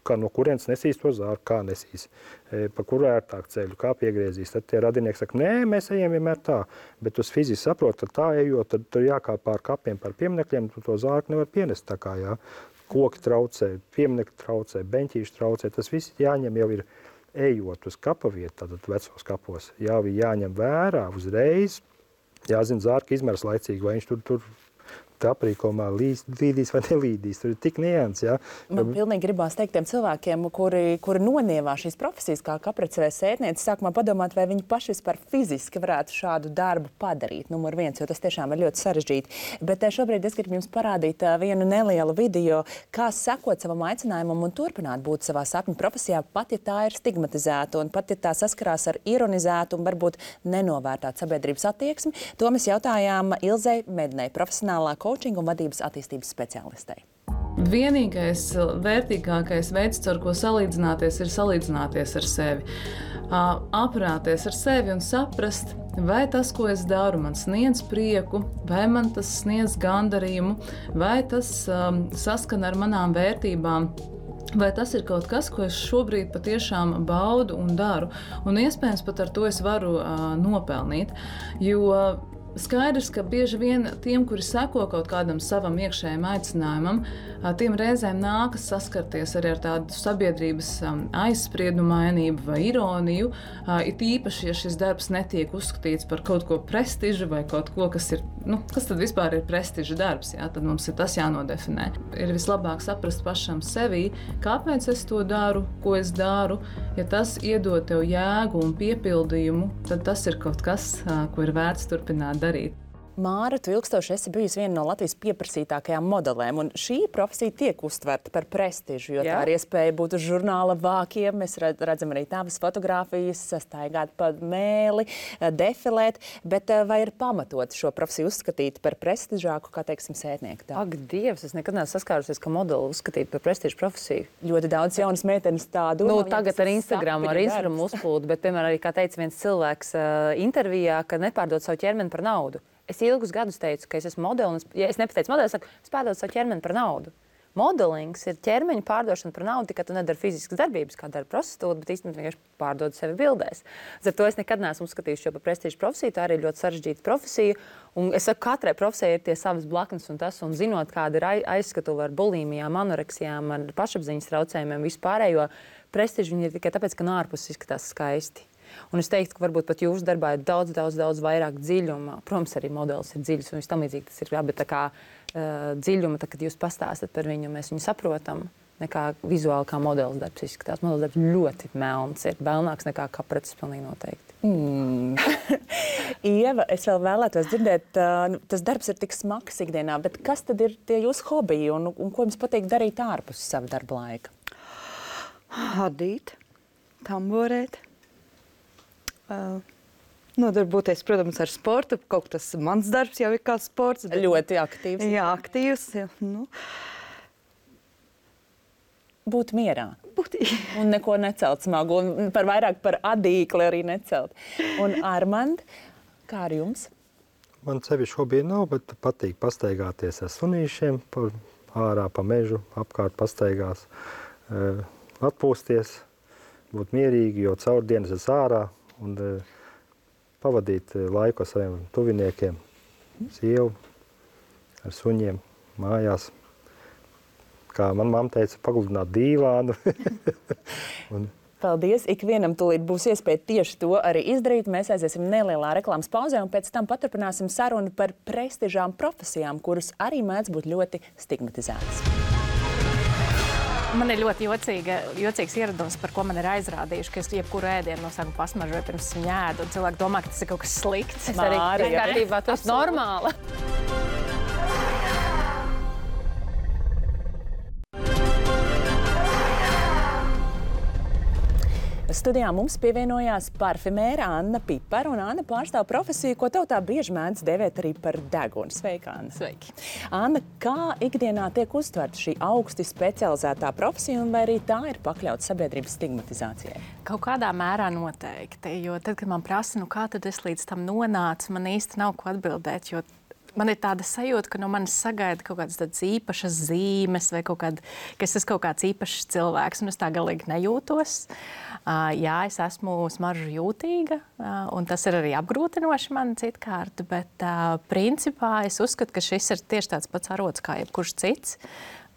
kā no kurienes nesīs to zārku, kā nesīs, e, pa kuru ērtāk ceļu, kā piegriezīs. Tad tie radinieki saka, nē, mēs ejam vienmēr tā, bet tu fiziski saproti, ka tā ejot, tad tur jākāp pār kapiem, pār pieminekļiem, tu to zārku nevar pienest tā kā, jā. Koki traucē, pieminekļi traucē, beņķīši traucē, tas viss jāņem jau ir ejot uz kapa vietu, tātad vecos kapos, jā, jāņem vērā uzreiz, jāzina zārka izmērs laicīgi, vai viņš tur, tur aprīkomā līdīs vai nelīdīs. Tur ir tik nians, ja. Man pilnīgi gribās teikt tiem cilvēkiem, kuri, kuri nonievā šīs profesijas kā kaprace vai sētniece, sākumā padomāt, vai viņi paši vispār fiziski varētu šādu darbu padarīt, numur viens, jo tas tiešām ir ļoti sarežģīti. Bet šobrīd es gribu jums parādīt vienu nelielu video, kā sekot savam aicinājumam un turpināt būt savā sapņu profesijā, pat ja tā ir stigmatizēta un pat ja tā saskarās ar ironizētu un varbūt nenovērtātu sabiedrības attieksmi. To mēs jautājām Ilzei Mednei, profesionālā coaching un vadības attīstības speciālistei. Vienīgais vērtīgākais veids, ar ko salīdzināties, ir salīdzināties ar sevi. Aprunāties ar sevi un saprast, vai tas, ko es daru, man sniedz prieku, vai man tas sniedz gandarījumu, vai tas um, saskan ar manām vērtībām. Vai tas ir kaut kas, ko es šobrīd patiešām baudu un daru. Un iespējams pat ar to es varu uh, nopelnīt, jo skaidrs, ka bieži vien tiem, kuri seko kaut kādam savam iekšējam aicinājumam, tiem reizēm nākas saskarties arī ar tādu sabiedrības aizspriedumainību vai ironiju, it īpaši, ja šis darbs netiek uzskatīts par kaut ko prestižu vai kaut ko, kas ir, nu, kas tad vispār ir prestiža darbs, jā, tad mums ir tas jānodefinē. Ir vislabāk saprast pašam sevī, kāpēc es to daru, ko es daru. Ja tas iedod tev jēgu un piepildījumu, tad tas ir kaut kas, ko ir vērts turpināt darīt. Māra, tu ilgstoši esi bijusi viena no Latvijas pieprasītākajām modelēm, un šī profesija tiek uztverta par prestižu, jo Jā. tā ir iespēja būt uz žurnāla vākiem. Mēs redzam arī tavas fotogrāfijas, staigāt pa mēli, defilēt, bet vai ir pamatot šo profesiju uzskatīt par prestižāku, kā, teiksim, sētnieku? Tā? Ak, Dievs, es nekad neesmu saskārusies, ka modeli uzskatīt par prestižu profesiju. Ļoti daudz jaunas meitenes tādu. Nu, tagad ar Instagram, ar Instagram uzplūdu, bet, piemēram, arī, kā teica viens cilvēks uh, intervijā, ka nepārdod savu ķermeni par naudu. Es ilgus gadus teicu, ka es esmu modeli, un es, ja es nepateicu modeli, es saku, es pārdodu savu ķermeni par naudu. modelings ir ķermeņa pārdošana par naudu, tikai tu nedari fiziskas darbības, kā dara prostitūta, bet īstenībā vienkārši pārdod sevi bildēs. Ar to es nekad neesmu uzskatījuši šo par prestižu profesiju, tā arī ir ļoti sarežģīta profesija. Un es saku, katrai profesijai ir tie savas blaknes un tas, un zinot, kāda ir aizskatuve ar bulimijām, anoreksijām, ar pašapziņas traucējumiem, vispārējo prestižu viņi ir tikai tāpēc, ka no ārpuses izskatās skaisti. Un es teiktu, ka varbūt pat jūsu darbā ir daudz, daudz, daudz vairāk dziļuma. Protams, arī modelis ir dziļs un viss tam līdzīgi tas ir, bet tā kā uh, dziļuma, tā, kad jūs pastāstat par viņu, mēs viņu saprotam, nekā vizuāli kā modelis darbs izskatās. Modelis darbs ļoti melns, ir melnāks nekā kaprecis, pilnīgi noteikti. Mm. Ieva, es vēl vēlētos dzirdēt, uh, tas darbs ir tik smags ikdienā, bet kas tad ir tie jūsu hobiji un, un ko jums patīk darīt ārpus sava darba laika? Adīt, tamborēt. Uh, nodarboties, protams, ar sportu. Kaut tas mans darbs jau ir kā sports. Bet... Ļoti aktīvs. Jā, aktīvs. Jā, nu. Būt mierā. Būt... un neko necelt smagu. Un par vairāk par adīkli arī necelt. Un Armand, kā ar jums? Man sevišķi hobija nav, bet patīk pastaigāties ar sunīšiem, pa, ārā pa mežu, apkārt pastaigās, uh, atpūsties, būt mierīgi, jo caur dienas es ārā. Un uh, pavadīt uh, laiku ar saviem tuviniekiem, sievu, ar suņiem, mājās. Kā man mamma teica, pagludināt dīvānu. un... Paldies! Ikvienam tūlīt būs iespēja tieši to arī izdarīt. Mēs aiziesim nelielā reklāmas pauzē un pēc tam paturpināsim sarunu par prestižām profesijām, kuras arī mēdz būt ļoti stigmatizētas. Man ir ļoti jocīga, jocīgs ieradums, par ko man ir aizrādījuši, ka es jebkuru ēdienu no sākuma pasmažoju pirms viņu ēdu, un cilvēki domā, ka tas ir kaut kas slikts. Es arī kārtībā, tas ir normāli. Studijā mums pievienojās parfimēra Anna Pipara, un Anna pārstāv profesiju, ko tev tā bieži mēdz dēvēt arī par degunu. Sveika, Anna! Sveiki! Anna, kā ikdienā tiek uztverta šī augsti specializētā profesija, un vai arī tā ir pakļauta sabiedrības stigmatizācijai? Kaut kādā mērā noteikti, jo tad, kad man prasa, nu kā tad es līdz tam nonācu, man īsti nav ko atbildēt, jo man ir tāda sajūta, ka no manis sagaida kaut kādas tādas īpašas zīmes vai kaut kāda, ka es esmu kaut kāds īpašs cilvēks, un es tā galīgi nejūtos. Uh, jā, es esmu smaržu jūtīga, uh, un tas ir arī apgrūtinoši man citkārt, bet uh, principā es uzskatu, ka šis ir tieši tāds pats arots kā jebkurš cits.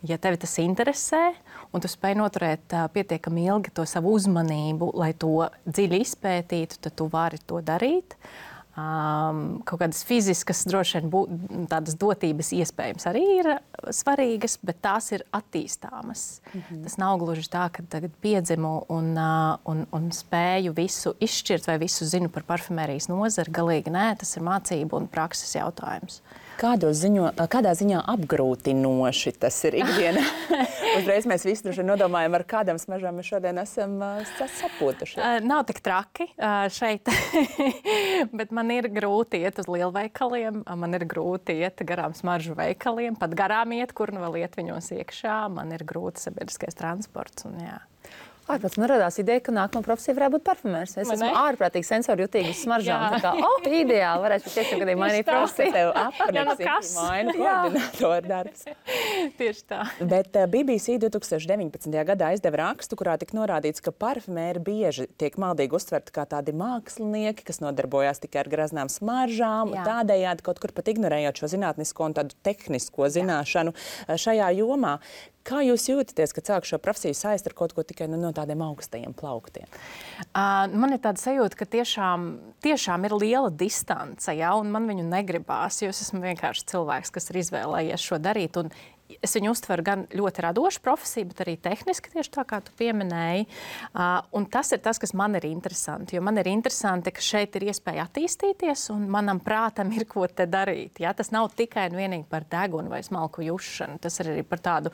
Ja tevi tas interesē, un tu spēj noturēt uh, pietiekami ilgi to savu uzmanību, lai to dziļi izpētītu, tad tu vari to darīt. Um, kaut kādas fiziskas, droši vien, bū, tādas dotības iespējams arī ir svarīgas, bet tās ir attīstāmas. Mm-hmm. Tas nav gluži tā, ka tagad piedzimu un, uh, un, un spēju visu izšķirt vai visu zinu par parfumērijas nozari. Galīgi nē, tas ir mācību un prakses jautājums. Kādos ziņo, kādā ziņā apgrūtinoši tas ir ikdienā? Uzreiz mēs visi droši nodomājam, ar kādām smaržām mēs šodien esam uh, sapūtuši. Uh, nav tik traki uh, šeit, bet man ir grūti iet uz lielveikaliem, man ir grūti iet garām smaržu veikaliem, pat garām iet, kur nu vēl iet viņos iekšā, man ir grūti sabiedriskais transports un jā. Ārprāts man radās ideja, ka nākamā profesija varētu būt parfumērs. Es esmu ārprātīgi sensori jutīga uz smaržām. Tā kā, oh, ideāli, varētu tiešām gadiem mainīt profesiju. Tev apniks, maina koordinātoru darbs. Tieši tā. Bet uh, B B C divtūkstoš deviņpadsmitajā gadā aizdeva rakstu, kurā tika norādīts, ka parfumēri bieži tiek maldīgi uztverti kā tādi mākslinieki, kas nodarbojās tikai ar graznām smaržām, Jā. Tādējādi kaut kur pat ignorējot šo zinātnisko un tādu tehnisko zināšanu Jā. Šajā jomā. Kā jūs jūtaties, kad sāk šo profesiju saist ar kaut ko tikai no tādiem augstajiem plauktiem? Uh, man ir tāda sajūta, ka tiešām, tiešām ir liela distance, ja, un man viņu negribās, jo es esmu vienkārši cilvēks, kas ir izvēlējies šo darīt. Un es viņu uztveru gan ļoti radošu profesiju, bet arī tehniski, tieši tā kā tu pieminēji. Uh, un tas ir tas, kas man ir interesanti, jo man ir interesanti, ka šeit ir iespēja attīstīties un manam prātam ir ko te darīt. Ja? Tas nav tikai un vienīgi par degunu vai smalku jušanu, tas ir arī par tādu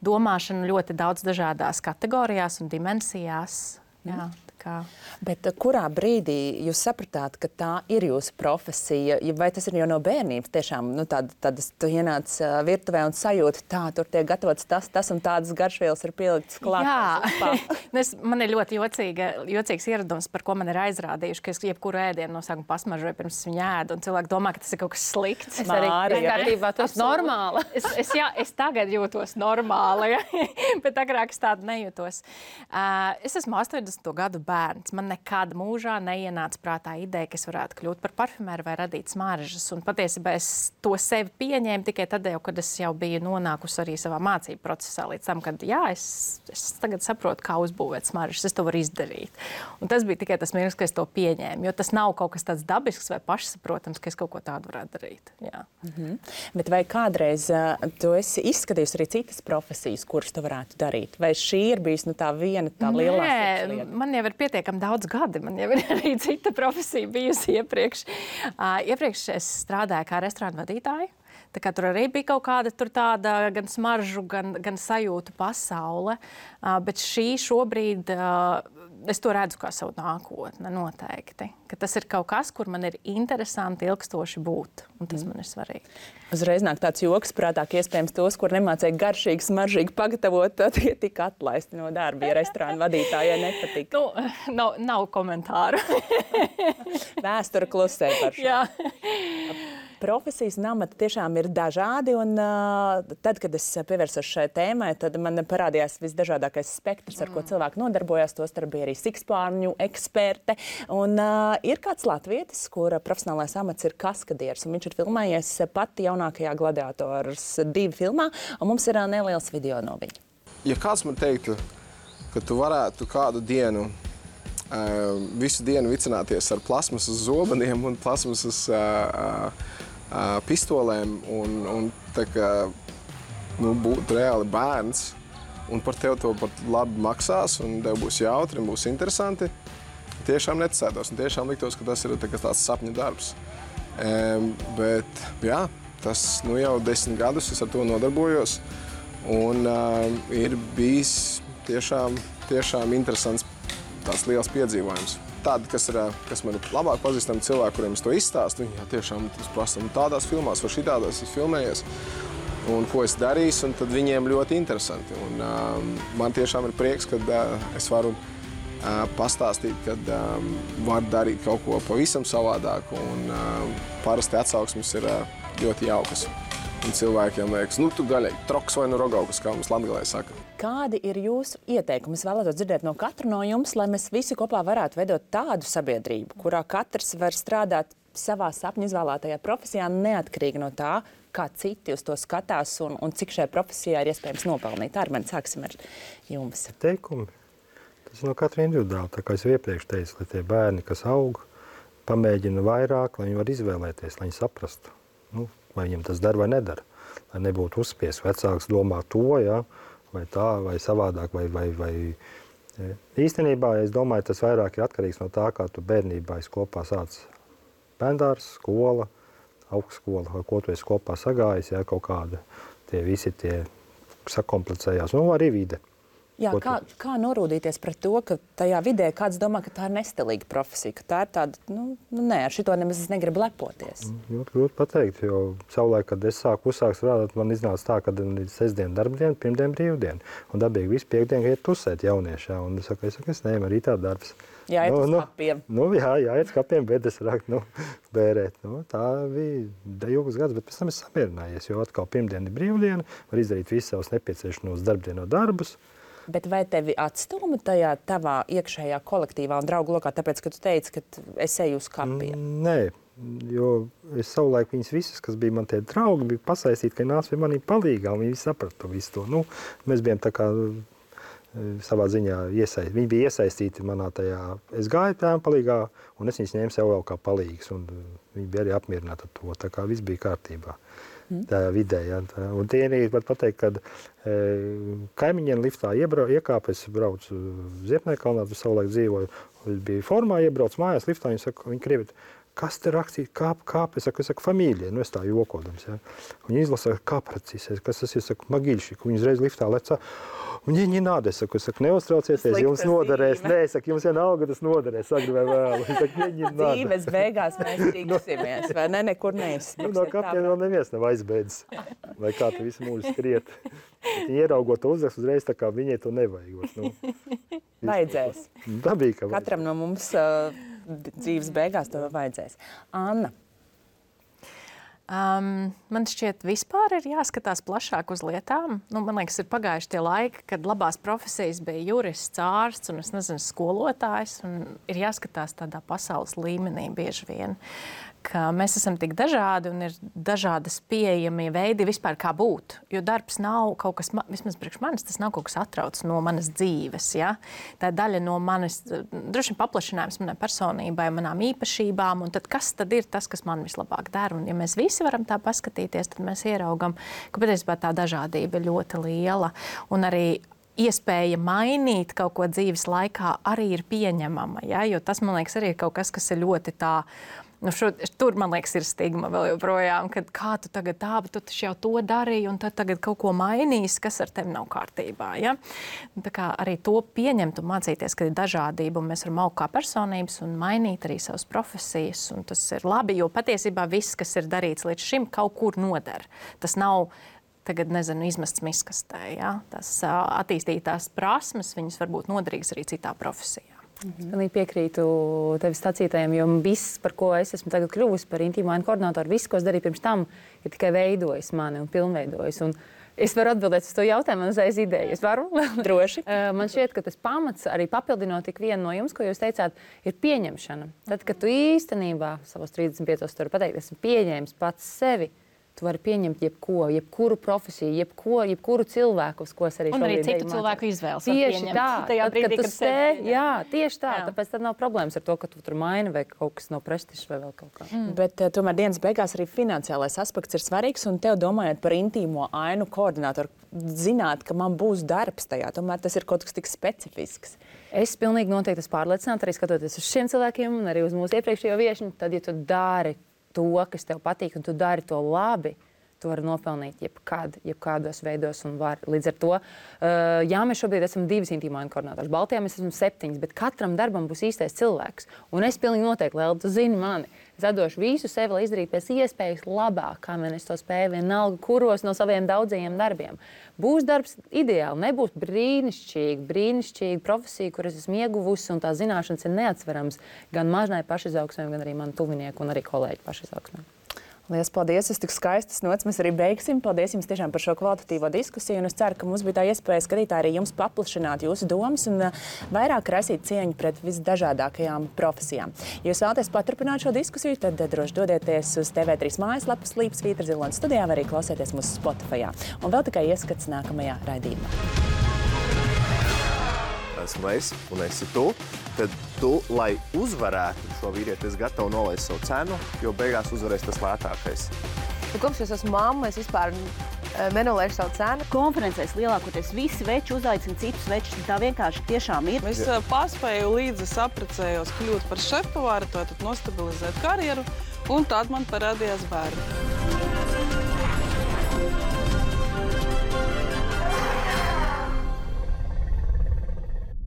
domāšanu ļoti daudz dažādās kategorijās un dimensijās. Jā, Kā. Bet kurā brīdī jūs sapratāt, ka tā ir jūsu profesija? Vai tas ir jau no bērnības? Tiešām, nu, tāda, tādas, tu ienāc virtuvē un sajūti, tā, tur tiek gatavots tas, tas un tādas garšvielas ir pieliktas klāt. Jā, es, man ir ļoti jocīga, jocīgs ieradums, par ko man ir aizrādījuši, ka es jebkuru ēdienu no sākuma pasmažoju pirms viņu ēdu, un cilvēki domā, ka tas ir kaut kas slikts. Es arī kārtībā, tu esi normāla. Es, es, jā, es tagad jūtos normāli, ja? Bet agrāk es tādu nejūtos. Uh, es esmu astoņdesmito gadu bērns. Man nekad mūžā neienāca prātā ideja, ka es varētu kļūt par parfumēru vai radīt smaržas. Un patiesībā es to sevi pieņēmu tikai tad, jau, kad es jau biju nonākusi arī savā mācību procesā līdz tam, kad jā, es, es tagad saprotu, kā uzbūvēt smaržas. Es to varu izdarīt. Un tas bija tikai tas mirklis, ka es to pieņēmu, jo tas nav kaut kas tāds dabisks vai pašsaprotams, ka es kaut ko tādu varētu darīt. Jā. Mhm. Bet vai kādreiz uh, tu esi izskatījusi arī citas profesijas, kuras tu varētu darīt? Vai šī ir bijis nu, tā viena tā lielā Nē, man jau ir pietiekami daudz gadi. Man jau ir arī cita profesija bijusi iepriekš. Uh, iepriekš es strādāju kā restorānu vadītāja. Tā kā tur arī bija kaut kāda tur tāda gan smaržu, gan, gan sajūtu pasaule. Uh, bet šī šobrīd, uh, es to redzu kā savu nākotni noteikti. Ka tas ir kaut kas, kur man ir interesanti ilgstoši būt. Un tas mm. man ir svarīgi. Uzreiz nāk tāds joks prātā, ka iespējams tos, kur nemācēja garšīgi, smaržīgi pagatavot, tad tie tika atlaisti no darba, ja restorānu vadītājai nepatika. Nu, nav, nav komentāru. Vēsture klusē par šo. Jā. Profesijas un amati tiešām ir dažādi, un uh, tad, kad es pievērsos šai tēmai, tad man parādījās visdažādākais spektrs, ar ko cilvēki nodarbojās. Tostarp bija arī sikspārņu eksperte. Un uh, ir kāds latvietis, kura profesionālais amats ir kaskadieris, un viņš ir filmējies pati jaunākajā Gladiators divi filmā, un mums ir uh, neliels video no viņa. Ja kāds man teiktu, ka tu varētu kādu dienu uh, visu dienu vicināties ar plasmasas zobeniem un plasmasas uh, uh, Uh, pistolēm un, un tā kā, nu, būt reāli bērns un par tevi to pat labi maksās un tev būs jautri un būs interesanti, tiešām neticētos un tiešām liktos, ka tas ir tā kā tāds sapņu darbs. Um, bet, jā, tas nu, jau desmit gadus es ar to nodarbojos un uh, ir bijis tiešām, tiešām interesants tāds liels piedzīvojums. Tādi, kas, ir, kas man ir labāk pazīstami cilvēki, kuriem es to izstāstu, viņi jā, tiešām prasa, tādās filmās vai šitādās es filmējies, un ko es darīšu, un tad viņiem ļoti interesanti. Un, uh, man tiešām ir prieks, ka uh, es varu uh, pastāstīt, ka um, var darīt kaut ko pavisam savādāk, un uh, parasti atsauksmes ir uh, ļoti jaukas. Un cilvēkiem liekas, nu tu gaļai troks vai nu rogaukas, kā mums latgalē saka. Kādi ir jūsu ieteikumi? Es vēlētos dzirdēt no katra no jums, lai mēs visi kopā varētu veidot tādu sabiedrību, kurā katrs var strādāt savā sapņu izvēlētajā profesijā, neatkarīgi no tā, kā citi uz to skatās un, un cik šajā profesijā ir iespējams nopelnīt. Armen, sāksim ar jums. Teikumi. Tas ir no katra individuāli. Tā kā es iepriekš teicu, lai tie bērni, kas aug, pamēģina vairāk, lai viņi var izvēlēties, lai viņi saprastu. Nu, vai viņam tas dara vai nedara. Lai nebūtu uzspies vecāks domā to, ja, vai tā, vai savādāk, vai, vai, vai. Īstenībā, es domāju, tas vairāk ir atkarīgs no tā, kā tu bērnībā esi kopā sāc bērndārs, skola, augstskola, vai ko tu esi kopā sagājis, ja, kaut kāda, tie visi tie sakomplicējās, nu, arī vide. Jā, kā, kā norūdīties pret to, ka tajā vidē kāds domā, ka tā ir nestilīga profesija, ka tā ir tāda, nu, nu nē, ar šito nemaz es negribu lepoties. Ļoti grūti pateikt, jo savulaik, kad es sāku uzsākt strādāt, man iznāca tā, ka ir sestdiena darbdiena, pirmdiena brīvdiena. Un dabīgi visu piekdienu iet tusēt jauniešā. Un es saku, es, saku, es neņemu arī tā darbs. Jā, iet nu, uz nu, skapiem. Nu, jā, jā, iet uz skapiem, bet es raktu, nu, bērēt. Nu, tā bija ilgas gads, bet pēc tam es samierinājies, jo atkal pirmdiena ir brīvdiena, var izdarīt visus savus nepieciešamos darbdienu darbus. Bet vai tevi atstūma tajā tavā iekšējā kolektīvā un draugu lokā, tāpēc, ka tu teici, ka es eju uz kapiem? Nē, jo es savulaik viņas visas, kas bija man tie draugi, bija pasaistīti, ka nāc pie manī palīgā, un viņi saprata visu to. Nu, mēs bijām tā kā savā ziņā iesaistīti. Viņi bija iesaistīti manā tajā, es gāju tām palīgā, un es viņas ņēmu sev vēl kā palīgas, un viņi bija arī apmierināti ar to, tā kā viss bija kārtībā. Tā vidē, ja, tā. Un tie arī var pateikt, kad e, kaimiņiem liftā iebrau, iekāpa, es braucu Ziepnēkalnā, tu savulaik dzīvoju, es biju formā, iebraucu mājās liftā, viņi saka, viņi krievi, kas te rakstīt, kāp, kāp, es saku, es saku, familija, nu es tā jokodams, ja. Viņi izlasa, kā precīsies, kas tas ir, saku, magīļšik, viņi uzreiz liftā lecā. Viņi, viņi nāda, es saku, es saku, neuztraucieties, jums noderēs, nē, es saku, jums vienalga tas noderēs, agri vai vēlu. Es saku, viņi nāda. Dzīves beigās mēs tiksimies, vai ne, nekur neizspriksiet. Nu, no kaptiem vēl neviens nav aizbeidzis, vai kā tu visu mūžu skriet. Bet viņi ieraugot to uzrakstu uzreiz, tā kā viņai to nevajag. Nu, vajadzēs. Dabīgi, ka vajag. Katram no mums uh, dzīves beigās to vajadzēs. Anna. Um, man šķiet, vispār ir jāskatās plašāk uz lietām. Nu, man liekas, ir pagājuši tie laiki, kad labās profesijas bija jurists, ārsts un, es nezinu, skolotājs. Un ir jāskatās tādā pasaules līmenī bieži vien, ka mēs esam tik dažādi un ir dažādas pieejamie veidi vispār kā būt. Jo darbs nav kaut kas, vismaz priekš manis, tas nav kaut kas atrauc no manas dzīves. Ja? Tā ir daļa no manis, droši vien paplašinājums manai personībai, manām īpašībām. Un tad kas tad ir tas, kas man vislabāk dara? Un ja mēs visi varam tā paskatīties, tad mēs ieraugam, ka patiesībā tā dažādība ir ļoti liela. Un arī iespēja mainīt kaut ko dzīves laikā arī ir pieņemama. Ja? Jo tas, man liekas, arī ir kaut kas, kas ir ļoti tā. Nu šo, tur, man liekas, ir stigma vēl joprojām, kad kā tu tagad tā, bet tu taču jau to darīji, un tad tagad kaut ko mainīs, kas ar tevi nav kārtībā. Ja? Tā kā arī to pieņemt un mācīties, ka ir dažādība, un mēs varam augt kā personības un mainīt arī savas profesijas, un tas ir labi, jo patiesībā viss, kas ir darīts līdz šim, kaut kur noder. Tas nav tagad, nezinu, izmests miskastē. Ja? Tas attīstītās prasmes, viņas var būt noderīgas arī citā profesijā. Mhm. Es piekrītu tevis sacītajiem, jo viss, par ko es esmu tagad kļuvusi par intīmo ainu koordinātoru, viss, ko es darīju pirms tam, ir tikai veidojis mani un pilnveidojis. Un es varu atbildēt uz to jautājumu, man uzreiz ideja. Es varu? Droši. Man šķiet, ka tas pamats, arī papildinot tik vienu no jums, ko jūs teicāt, ir pieņemšana. Tad, kad tu īstenībā savos trīsdesmit piecos tur pateikt, esmu pieņēmis pats sevi, tu vari pieņemt jebko, jebkuru profesiju, jebko, jebkuru cilvēku, uz ko es arī un šobrīd arī citu cilvēku izvēles var tieši pieņemt. Tā, Tajā tad, brīdī, kad tu kad stē, sevi pieņem. jā, tieši tā, Jā. tāpēc tad nav problēmas ar to, ka tu tur maini vai kaut kas no prestižs vai vēl kaut kā. Mm. Bet uh, tomēr dienas beigās arī finansiālais aspekts ir svarīgs, un tev domājot par intīmo ainu koordinātoru, zināt, ka man būs darbs tajā, tomēr tas ir kaut kas tik specifisks. Es pilnīgi noteikti esmu pārliecināta, arī skatoties uz šiem cilvēkiem un arī uz mūsu iepriekšējo viešņu, tad, ja tu dari to, kas tev patīk, un tu dari to labi, tu vari nopelnīt jebkad, jebkādos veidos un var. Līdz ar to, uh, jā, mēs šobrīd esam divas intīmo ainu koordinātors. Baltijā mēs esam septiņas, bet katram darbam būs īstais cilvēks. Un es pilnīgi noteikti, Lēl, tu zini mani, es atdošu visu sevi, lai izdarītu pēc iespējas labāk, kā man es to spēju vienalga, kuros no saviem daudzajiem darbiem. Būs darbs ideāli, nebūs brīnišķīgi, brīnišķīgi profesija, kur es esmu ieguvusi, un tā zināšanas ir neatsverams gan mažnai pašizaugsmē, gan arī manu tuvinieku un arī kolēģu pašizaugsmē. Lielas paldies! Es tik skaistas nots mēs arī beigsim. Paldies jums tiešām par šo kvalitatīvo diskusiju. Un es ceru, ka mums bija tā iespēja skatītāji arī jums paplašināt jūsu domas un uh, vairāk rasīt cieņu pret visdažādākajām profesijām. Ja jūs vēlaties paturpināt šo diskusiju, tad uh, droši dodieties uz T V trīs mājaslapas Līpsvītra Ziloņa studijā vai arī klausieties mūsu Spotifyā. Un vēl tikai ieskats nākamajā raidījumā. Esmu es un esi tu, tad tu, lai uzvarētu šo vīrieti, es gatavu nolaist savu cenu, jo beigās uzvarēs tas lētākais. Kopš es esmu mamma, es vispār nenolaižu savu cenu. Konferencēs lielākoties visi veči uzaicina citus večus, tā vienkārši tiešām ir. Es paspēju līdz es apprecējos kļūt par šefpavāru, tad nostabilizēt karjeru, un tad man parādījās bērni.